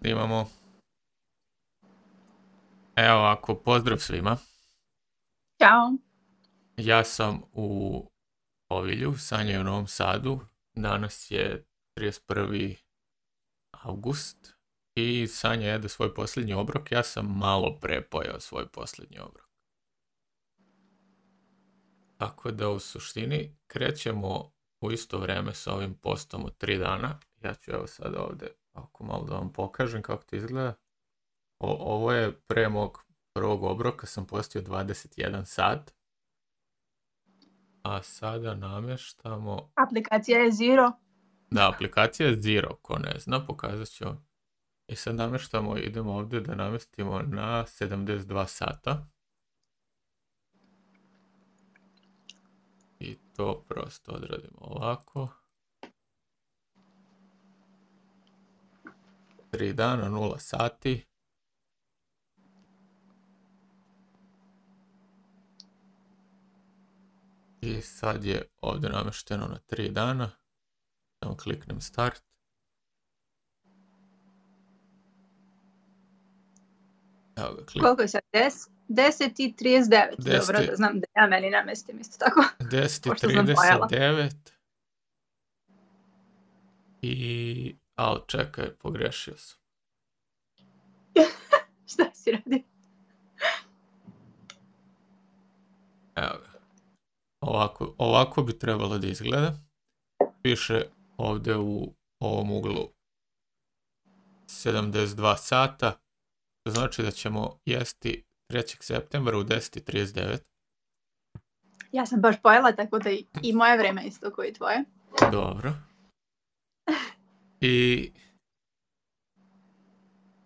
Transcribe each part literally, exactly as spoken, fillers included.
Snimamo. Evo ovako, pozdrav svima. Ćao. Ja sam u Ovilju, Sanja je u Novom Sadu. Danas je trideset prvi august i Sanja jede svoj posljednji obrok. Ja sam malo pre pojeo svoj posljednji obrok. Tako da u suštini krećemo u isto vrijeme sa ovim postom od tri dana. Ja ću evo sad ovdje ako malo da vam pokažem kako to izgleda. O, ovo je pre mog prvog obroka, sam postio dvadeset jedan sat. A sada namještamo... Aplikacija je Zero. Da, aplikacija je Zero, ko ne zna, pokazat ću. I sad namještamo, idemo ovdje da namjestimo na sedamdeset dva sata. I to prosto odradimo ovako. tri dana, nula sati. I sad je ovdje namješteno na tri dana. Samo kliknem start. Evo ga, klik. Koliko je sad? deset i trideset devet. Dobro, da znam da ja meni namestim isto tako. deset i trideset devet. I... Ali čekaj, pogrešio sam. Šta si radi? Evo ga. Ovako, ovako bi trebalo da izgleda. Piše ovdje u ovom uglu sedamdeset dva sata. To znači da ćemo jesti trećeg septembra u deset i trideset devet. Ja sam baš pojela, tako da i moje vreme isto koji tvoje. Dobro. I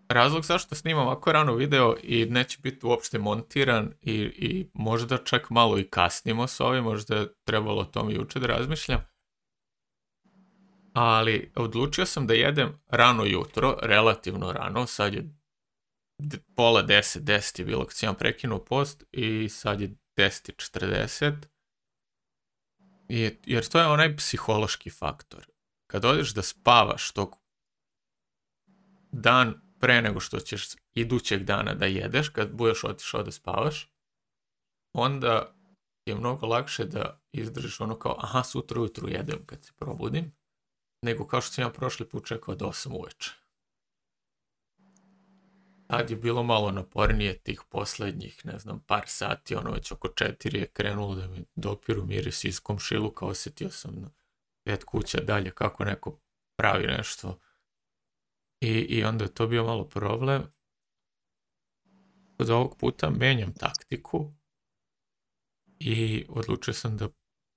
razlog zašto snimam ovako rano video i neće biti uopšte montiran i, i možda čak malo i kasnimo s ovim, možda je trebalo o tom juče da razmišljam. Ali odlučio sam da jedem rano jutro, relativno rano, sad je pola deset, deset je bilo kad sam prekinuo post i sad je deset i četrdeset. I, jer to je onaj psihološki faktor. Kad odeš da spavaš tog dan pre nego što ćeš idućeg dana da jedeš, kad budeš otišao da spavaš, onda je mnogo lakše da izdržiš ono kao, aha, sutra ujutru jedem kad se probudim, nego kao što sam ja prošli put čekao do osam uveče. Tad je bilo malo napornije tih posljednjih, ne znam, par sati, ono već oko četiri je krenulo da mi dopiru miris iz komšiluka, osjetio sam na pet kuća dalje kako neko pravi nešto. I, i onda je to bio malo problem. Od ovog puta menjam taktiku i odlučio sam da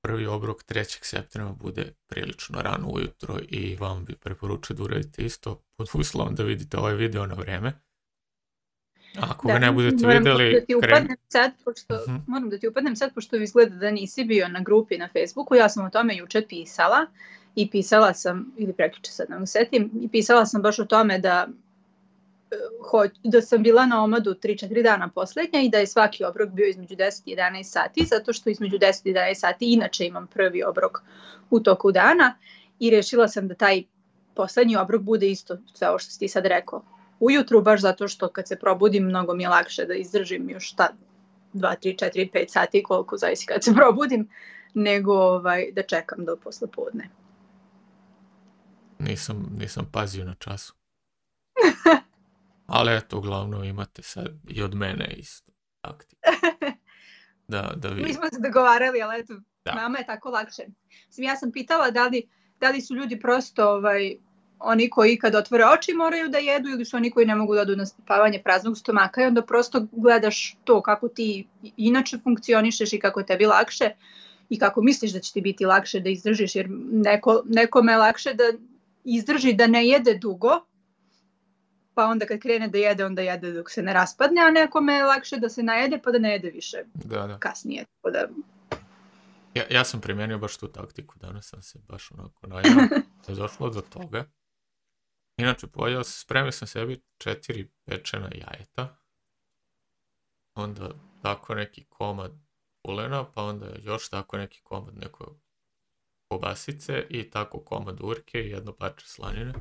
prvi obrok trećeg septembra bude prilično rano ujutro i vam bi preporučio da uradite isto pod uslovom da vidite ovaj video na vreme. Ako da, ga ne budete moram vidjeli... Da ti upadnem sad, pošto, uh-huh. Moram da ti upadnem sad, pošto izgleda da nisi bio na grupi na Facebooku. Ja sam o tome juče pisala i pisala sam, ili prekjuče sad ne mogu setim, i pisala sam baš o tome da, da sam bila na omadu tri četiri dana posljednja i da je svaki obrok bio između deset i jedanaest sati, zato što između deset i jedanaest sati inače imam prvi obrok u toku dana i rešila sam da taj posljednji obrok bude isto sve ovo što si ti sad rekao. Ujutru, baš zato što kad se probudim mnogo mi je lakše da izdržim još ta dva, tri, četiri, pet sati koliko zavisi kad se probudim, nego ovaj, da čekam do poslepodne. Nisam, nisam pazio na času. Ali eto, uglavnom imate sad i od mene isto taktiku. Da, da vi... Mi smo se dogovarali, ali eto, da. Nama je tako lakše. Mislim, ja sam pitala da li, da li su ljudi prosto... Ovaj, oni koji kad otvore oči moraju da jedu ili su oni koji ne mogu da odu na spavanje praznog stomaka i onda prosto gledaš to kako ti inače funkcionišeš i kako je tebi lakše i kako misliš da će ti biti lakše da izdržiš, jer neko, nekome je lakše da izdrži da ne jede dugo, pa onda kad krene da jede, onda jede dok se ne raspadne, a nekome je lakše da se najede pa da ne jede više da, da. kasnije. Da... Ja, ja sam primijenio baš tu taktiku, danas sam se baš onako najao, je došlo do toga. Inače, pojao sam, spremio sam sebi četiri pečena jajeta, onda tako neki komad kulena, pa onda još tako neki komad neke kobasice i tako komad urke i jedno parče slanine.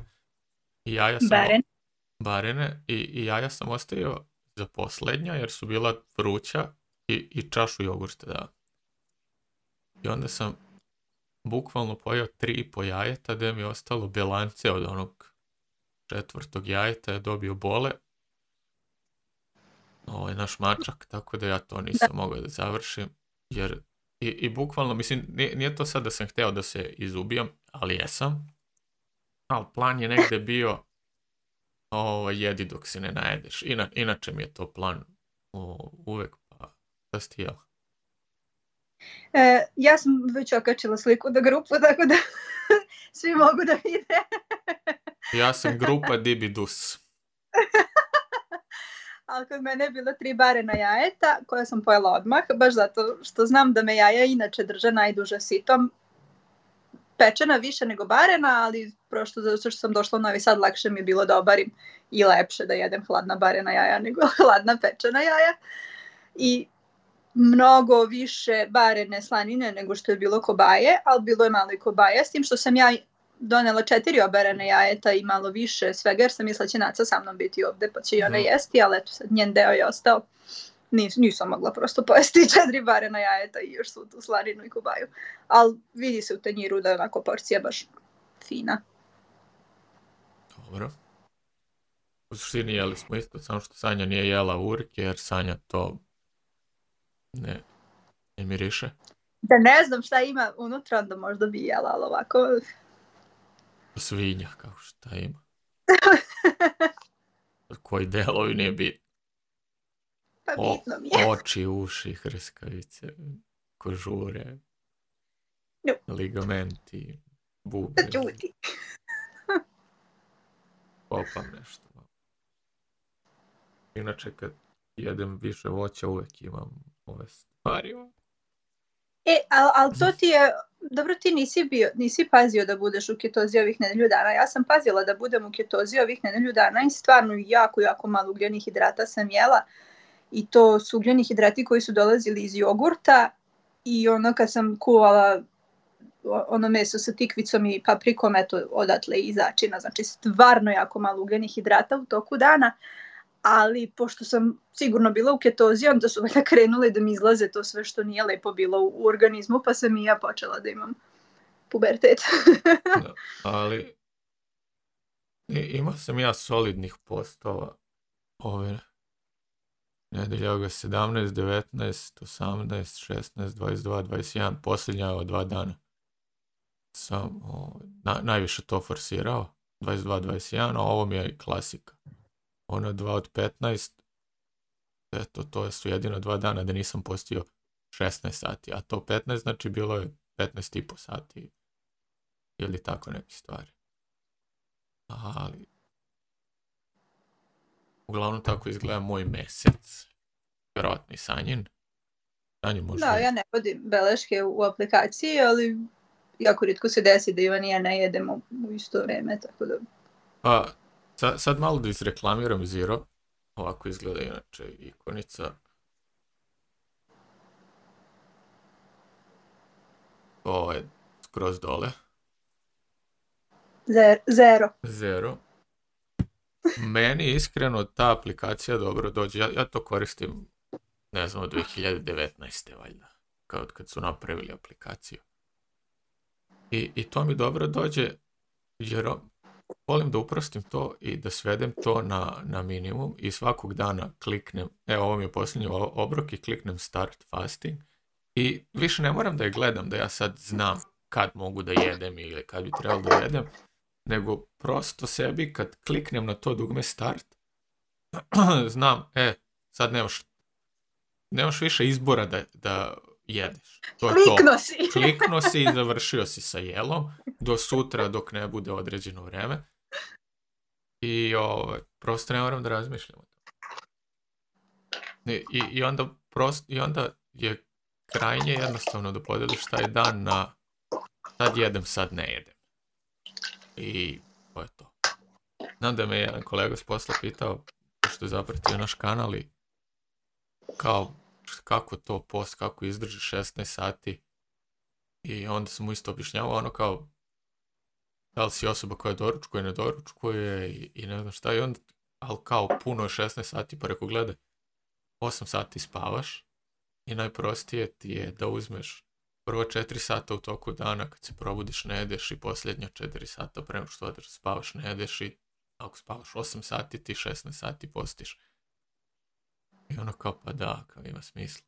I jaja sam... Baren. barene i, i jaja sam ostavio za posljednja jer su bila vruća i, i čašu jogurta, da. I onda sam bukvalno pojeo tri i po jajeta, da mi je ostalo bilance od onog četvrtog jajeta, je dobio bole. Ovo je naš mačak, tako da ja to nisam da. mogao da završim, jer i, i bukvalno, mislim, nije, nije to sad da sam hteo da se izubijam, ali jesam, ali plan je negde bio ovo, jedi dok se ne najedeš. Ina, inače mi je to plan o, uvek, pa da si ti jela? E, ja sam već okačila sliku do grupu, tako da svi mogu da vide. Ja sam grupa Dibidus. Ali kod mene je bilo tri barena jajeta koja sam pojela odmah, baš zato što znam da me jaja inače drže najduže sitom. Pečena više nego barena, ali prosto zato što sam došla u Novi Sad, lakše mi je bilo da obarim i lepše da jedem hladna barena jaja nego hladna pečena jaja. I mnogo više barene slanine nego što je bilo kobaje, ali bilo je malo i kobaje, s tim što sam ja donela četiri oberene jajeta i malo više svega, jer sam mislila će Naca sa mnom biti ovde, pa će i ona jesti, ali eto sad njen deo je ostao. Nis, nisam mogla prosto pojesti četiri barena jajeta i još su tu slaninu i kobaju. Ali vidi se u tanjiru da je onako porcija baš fina. Dobro. U suštini jeli smo isto, samo što Sanja nije jela urke, jer Sanja to ne, ne miriše. Da ne znam šta ima unutra, onda možda bi jela, ali ovako... Svinja, kao šta ima. Koji delovi nije bitno. Pa bitno mi je. O, oči, uši, hrskavice, kožure, no. ligamenti, bubre. Čuti. Popam nešto. Inače, kad jedem više voća, uvek imam ove stvari. E, ali al to ti je, dobro ti nisi bio, nisi pazio da budeš u ketozi ovih nedelju dana. Ja sam pazila da budem u ketozi ovih nedelju dana i stvarno jako, jako malo ugljenih hidrata sam jela. I to su ugljeni hidrati koji su dolazili iz jogurta i ono kad sam kuvala ono meso sa tikvicom i paprikom, eto odatle i začina. Znači stvarno jako malo ugljenih hidrata u toku dana. Ali pošto sam sigurno bila u ketozi, onda su valjda krenule da mi izlaze to sve što nije lepo bilo u, u organizmu, pa sam i ja počela da imam pubertet. Da, ali imao sam ja solidnih postova ove nedelja, sedamnaest, devetnaest, osamnaest, šesnaest, dvadeset dva, dvadeset jedan, posljednja ova dva dana sam o, na, najviše to forsirao, dvadeset dva, dvadeset jedan, a ovo mi je klasika. Ono dva od petnaest, eto, to su jedino dva dana da nisam postio šesnaest sati, a to petnaest, znači bilo je petnaest i po sati ili tako neke stvari. Ali uglavnom tako izgleda moj mesec, vjerojatno i Sanjin. Sanjin možda... Da, ja ne vodim beleške u aplikaciji, ali jako rijetko se desi da Ivan i ja ne jedemo u isto vreme, tako da... Pa, Sad, sad malo da izreklamiram Zero. Ovako izgleda inače ikonica. Ovo je skroz dole. Zero. Zero. Meni iskreno ta aplikacija dobro dođe. Ja, ja to koristim, ne znam, od dve hiljade devetnaeste valjda. Kao kad su napravili aplikaciju. I, i to mi dobro dođe jer volim da uprostim to i da svedem to na, na minimum i svakog dana kliknem, evo ovo mi je posljednji obrok i kliknem start fasting i više ne moram da je gledam da ja sad znam kad mogu da jedem ili kad bi trebalo da jedem, nego prosto sebi kad kliknem na to dugme start, znam, e, sad nemaš, nemaš više izbora da, da jedeš. To je Klikno to. si. Klikno si i završio si sa jelom do sutra dok ne bude određeno vreme. I ovaj, prosto ne moram da razmišljam o tom. I, i, i, onda prost, I onda je krajnje jednostavno da podeliš taj dan na sad jedem, sad ne jedem. I to je to. Znam da me jedan kolega s posla pitao, što je zapratio naš kanal i kao kako to post, kako izdrži šesnaest sati i onda sam mu isto objašnjavao ono kao, da li si osoba koja doručkuje, ne doručkuje i, i ne znam šta, i onda ali kao puno je šesnaest sati, pa rekao, gledaj, osam sati spavaš i najprostije ti je da uzmeš prvo četiri sata u toku dana kad se probudiš ne jedeš i posljednja četiri sata prema što odeš spavaš ne jedeš i ako spavaš osam sati ti šesnaest sati postiš. I ono kao pa da, kao ima smisla.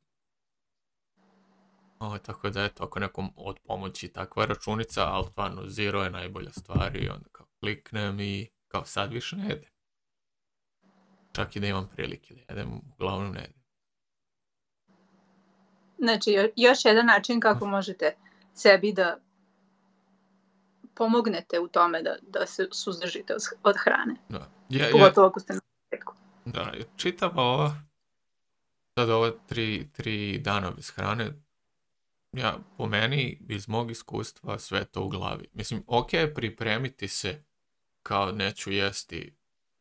O, tako da eto, ako nekom od pomoći takva računica, ali stvarno zero je najbolja stvar i onda kao kliknem i kao sad više ne jedem. Čak i da imam prilike da jedem, uglavnom ne jedem. Znači, još jedan način kako možete sebi da pomognete u tome da, da se suzdržite od hrane. Da. Ja, Pogotovo ako ste na početku. Da, čitava ova, sad ova tri, tri dana bez hrane, ja, po meni, iz mog iskustva, sve to u glavi. Mislim, ok, pripremiti se kao neću jesti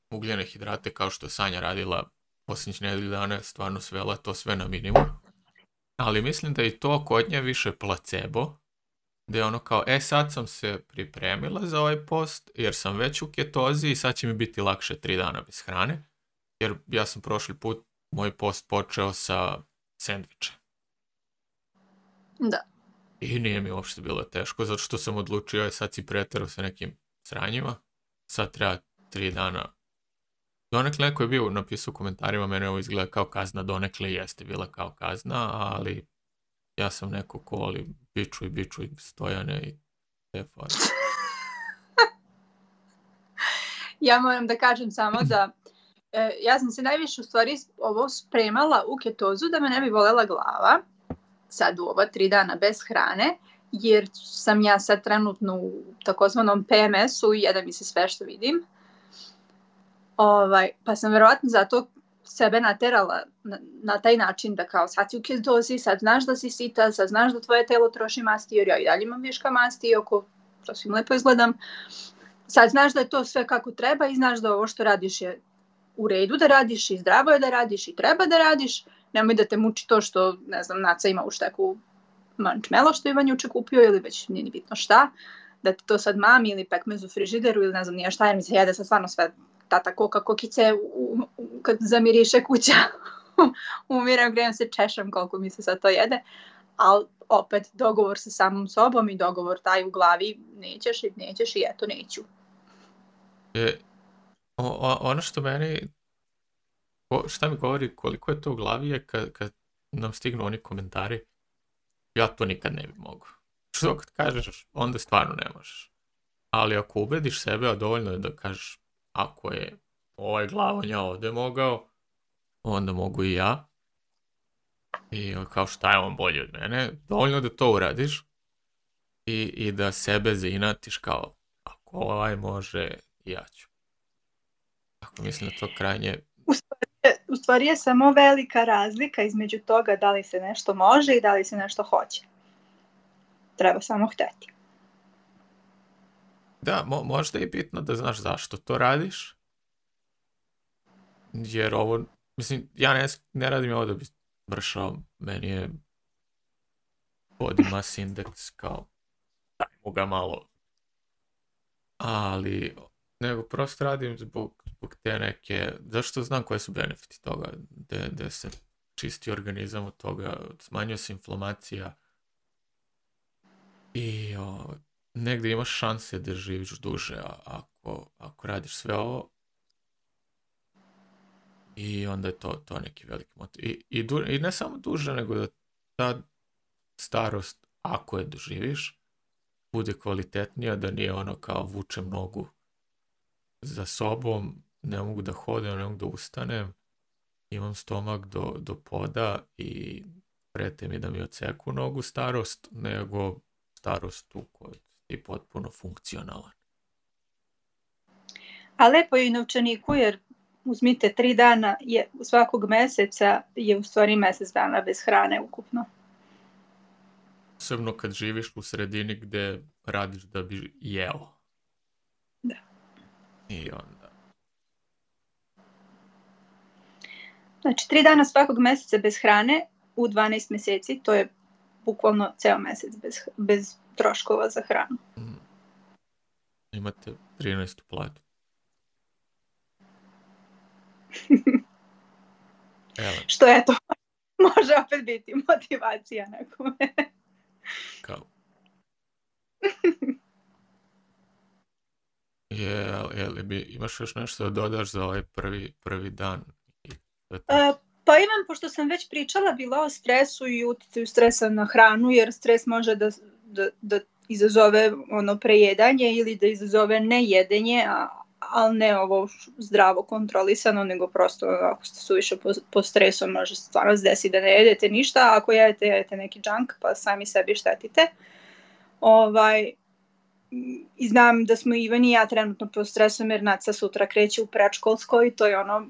ugljene hidrate kao što je Sanja radila posljednjih nedelju dana, stvarno svela to sve na minimum. Ali mislim da je i to kod nje više placebo, da je ono kao, e sad sam se pripremila za ovaj post, jer sam već u ketozi i sad će mi biti lakše tri dana bez hrane, jer ja sam prošli put moj post počeo sa sendvičem. Da. I nije mi uopšte bilo teško, zato što sam odlučio, je sad si preterao sa nekim sranjima, sad treba tri dana. Donekle neko je bio napisao u komentarima, mene ovo izgleda kao kazna, donekle jeste bila kao kazna, ali ja sam neko ko voli biču i biču i stojane i te fore. Ja moram da kažem samo da e, ja sam se najviše u stvari ovo spremala u ketozu da me ne bi bolela glava, sad u ova tri dana bez hrane, jer sam ja sad trenutno u takozvanom P M S-u i jede mi se sve što vidim. Ovaj, pa sam verovatno zato sebe naterala na, na taj način da kao sad si u ketozi, sad znaš da si sita, sad znaš da tvoje telo troši masti, jer ja i dalje imam viška masti, iako sasvim lepo izgledam. Sad znaš da je to sve kako treba i znaš da ovo što radiš je u redu da radiš i zdravo je da radiš i treba da radiš. Nemoj da te muči to što, ne znam, Naca ima u šteku mančmelo što je Ivan juče kupio ili već nije ni bitno šta, da ti to sad mami ili pekmez u frižideru ili ne znam nije šta, jer mi se jede sad stvarno sve tata koka kokice u, u, kad zamiriše kuća. Umiram, grejem se, češam koliko mi se sad to jede, ali opet dogovor sa samom sobom i dogovor taj u glavi, nećeš i nećeš i eto neću. E, o, o, ono što meni, o, šta mi govori koliko je to u glavi je kad, kad nam stignu oni komentari, ja to nikad ne bi mogu. Što kad kažeš, onda stvarno ne možeš. Ali ako ubediš sebe, a dovoljno je da kažeš, ako je ovaj glavonja ovdje mogao, onda mogu i ja. I kao šta je on bolji od mene, dovoljno da to uradiš i, i da sebe zainatiš kao ako ovaj može, ja ću. Ako mislim da to krajnje... U stvari, u stvari je samo velika razlika između toga da li se nešto može i da li se nešto hoće. Treba samo hteti. Da, mo- možda je bitno da znaš zašto to radiš. Jer ovo, mislim, ja ne, ne radim ovo da bi vršao, meni je body mass index kao, dajmo ga malo. Ali, nego prosto radim zbog, zbog te neke, zašto znam koje su benefiti toga, da se čisti organizam od toga, smanjuje se inflamacija i o, negdje imaš šanse da živiš duže ako, ako radiš sve ovo. I onda je to, to neki veliki motiv. I, i, du, I ne samo duže, nego da ta starost, ako je doživiš, bude kvalitetnija, da nije ono kao vučem nogu za sobom, ne mogu da hodem, ne mogu da ustanem, imam stomak do, do poda i prete mi da mi odseku nogu starost, nego starost u kojoj je potpuno funkcionalan. A lepo je i novčaniku, jer uzmite tri dana je, svakog meseca je u stvari mjesec dana bez hrane ukupno. Posebno kad živiš u sredini gdje radiš da bi jeo. Da. I onda... Znači, tri dana svakog mjeseca bez hrane u dvanaest mjeseci, to je bukvalno ceo mjesec bez, bez troškova za hranu. Mm. Imate trinaestu platu. Što je to? Može opet biti motivacija nekome. Kao. Je, je li bi, imaš još nešto da dodaš za ovaj prvi, prvi dan? Uh, pa imam, pošto sam već pričala bila o stresu i uticaju stresa na hranu, jer stres može da, da, da izazove ono prejedanje ili da izazove nejedenje, a, ali ne ovo zdravo kontrolisano, nego prosto ako ste suviše po, po stresu može stvarno se desiti da ne jedete ništa, a ako jedete, jedete neki junk pa sami sebi štetite. Ovaj, i znam da smo Ivan i ja trenutno pod stresom jer Naca sutra kreće u predškolsko i to je ono,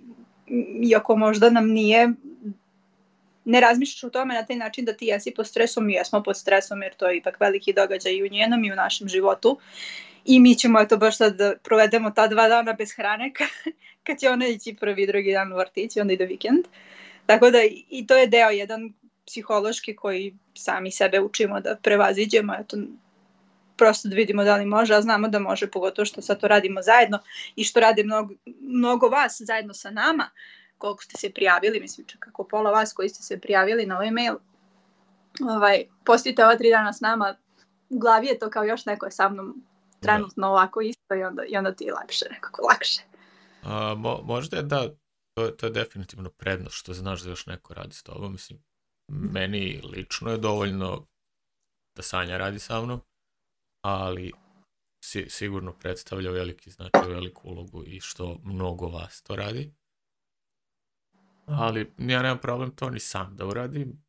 iako možda nam nije, ne razmišljaš o tome na taj način da ti jesi pod stresom, mi jesmo pod stresom jer to je ipak veliki događaj i u njenom i u našem životu i mi ćemo eto baš sad da provedemo ta dva dana bez hrane kad će ona ići prvi, drugi dan u vrtić i onda ide vikend. Tako da i to je deo jedan psihološki koji sami sebe učimo da prevaziđemo, eto prosto da vidimo da li može, a znamo da može, pogotovo što sad to radimo zajedno i što rade mnogo, mnogo vas zajedno sa nama, koliko ste se prijavili, mislim čak kako pola vas koji ste se prijavili na ovaj mail, ovaj, postite ova tri dana s nama, u glavi je to kao još neko je sa mnom trenutno ovako isto i onda, i onda ti je lakše, nekako lakše. A, mo, možda je da, to, to je definitivno prednost što znaš da još neko radi s tobom, mislim, meni lično je dovoljno da Sanja radi sa mnom, ali si, sigurno predstavlja veliki značaj, veliku ulogu i što mnogo vas to radi. Ali ja nemam problem to ni sam da uradim.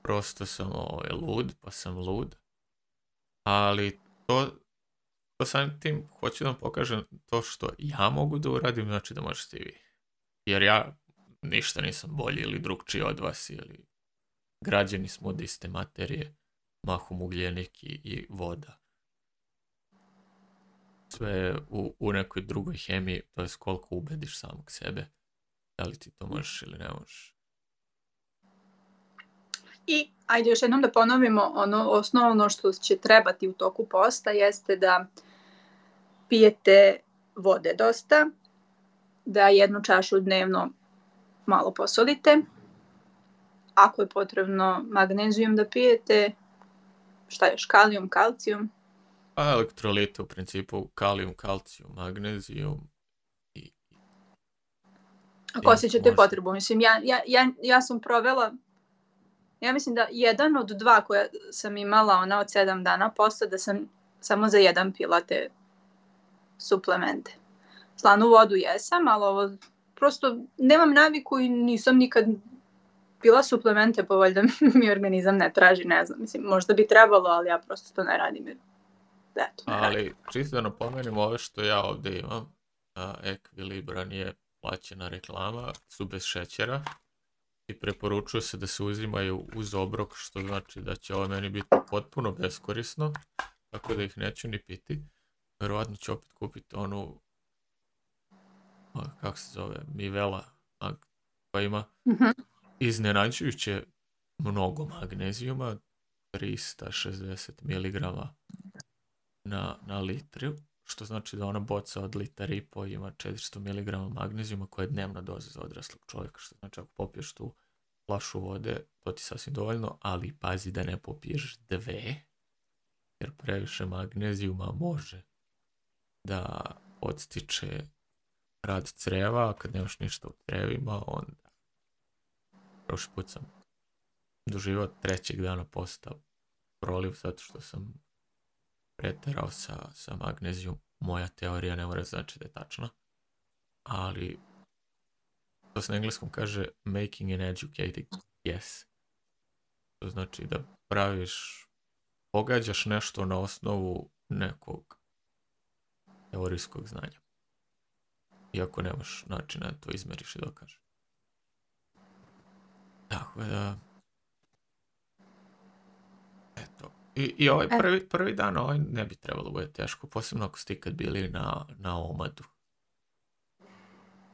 Prosto sam ovaj, lud, pa sam lud. Ali to, to samim tim hoću da vam pokažem to što ja mogu da uradim, znači da možete i vi. Jer ja ništa nisam bolji ili drugčiji od vas, ili građani smo od iste materije, mahom ugljenik i, i voda. Sve u, u nekoj drugoj hemiji, to je koliko ubediš samog sebe. Da li ti to možeš ili ne možeš. I ajde još jednom da ponovimo, ono osnovno što će trebati u toku posta jeste da pijete vode dosta, da jednu čašu dnevno malo posolite, ako je potrebno magnezijum da pijete, šta još, kalijum, kalcijum? Pa elektrolite u principu, kalijum, kalcijum, magnezijum. I, ako osjećate možda potrebu, mislim, ja, ja, ja, ja sam provela, ja mislim da jedan od dva koja sam imala ona od sedam dana posta, da sam samo za jedan pila te suplemente. Slanu vodu jesam, ali ovo prosto nemam naviku i nisam nikad pila suplemente, pa valjda mi organizam ne traži, ne znam, mislim, možda bi trebalo, ali ja prosto to ne radim. Jer, eto, ne ali radim. čisto da napomenem ove što ja ovdje imam, Equilibra nije plaćena reklama, su bez šećera i preporučuje se da se uzimaju uz obrok, što znači da će ovo meni biti potpuno beskorisno, tako da ih neću ni piti. Verovatno ću opet kupiti onu, kako se zove, Mivela, koja ima Mm-hmm. iznenađujuće mnogo magnezijuma, trista šezdeset miligrama na, na litru, što znači da ona boca od litar i po ima četiristo miligrama magnezijuma, koja je dnevna doza za odraslog čovjeka, što znači ako popiješ tu flašu vode, to ti sasvim dovoljno, ali pazi da ne popiješ dve, jer previše magnezijuma može da odstiče rad creva, a kad nemaš ništa u crevima, onda prošli put sam doživao trećeg dana posta proliv, zato što sam preterao sa, sa magnezijum. Moja teorija ne mora znači da je tačna, ali to se na engleskom kaže making an educated guess. To znači da praviš, pogađaš nešto na osnovu nekog teorijskog znanja. Iako nemaš načina da to izmeriš i dokažeš. Tako da, eto. I, i ovaj prvi, prvi dan ovaj ne bi trebalo bude teško, posebno ako ste ikad bili na, na omadu.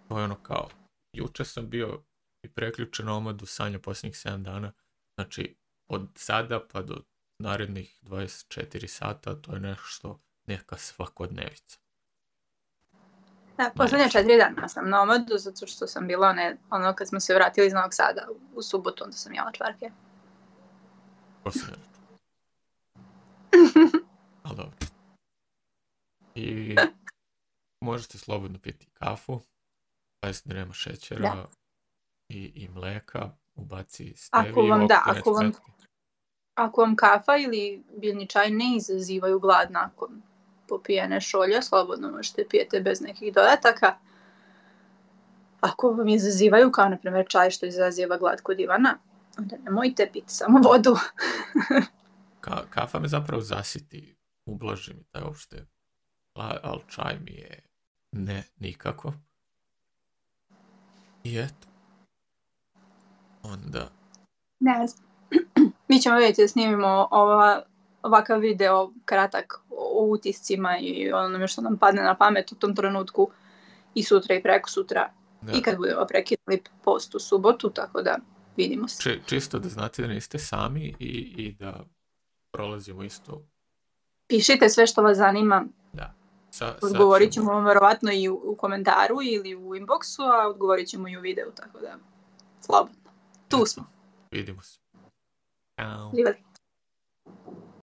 To je ono kao, juče sam bio i preključen na omadu, Sanja posljednjih sedam dana, znači od sada pa do narednih dvadeset četiri sata, to je nešto, neka svakodnevica. Da, posljednje četiri dana sam na omadu, zato što sam bila one, ono kad smo se vratili iz Novog Sada u subotu, onda sam jela čvarke. To se ne račun. Ali dobro. I možete slobodno piti kafu, pazite da nema šećera Da. i, i mleka, ubaci steviju, Ako vam, da, to neće ako vam, smetati. ako vam kafa ili biljni čaj ne izazivaju glad nakon popijene šolje, slobodno možete pijete bez nekih dodataka. Ako vam izazivaju, kao na primjer čaj što izaziva glad kod Ivana, onda nemojte piti samo vodu. Ka, kafa me zapravo zasiti, ublaži mi taj uopšte, ali čaj mi je ne, nikako. I eto. Onda... Ne znam. Mi ćemo vidjeti da snimimo ova, ovakav video kratak o utiscima i onome što nam padne na pamet u tom trenutku i sutra i preko sutra. Da. I kad budemo prekinuli post u subotu, tako da vidimo se. Či, čisto da znate da niste sami i, i da prolazimo isto. Pišite sve što vas zanima. Da. Sa, odgovorit ćemo vam verovatno i u, u komentaru ili u inboxu, a odgovorit ćemo i u videu, tako da slobodno. Tu smo. Vidimo se. Ćao. Živjeli.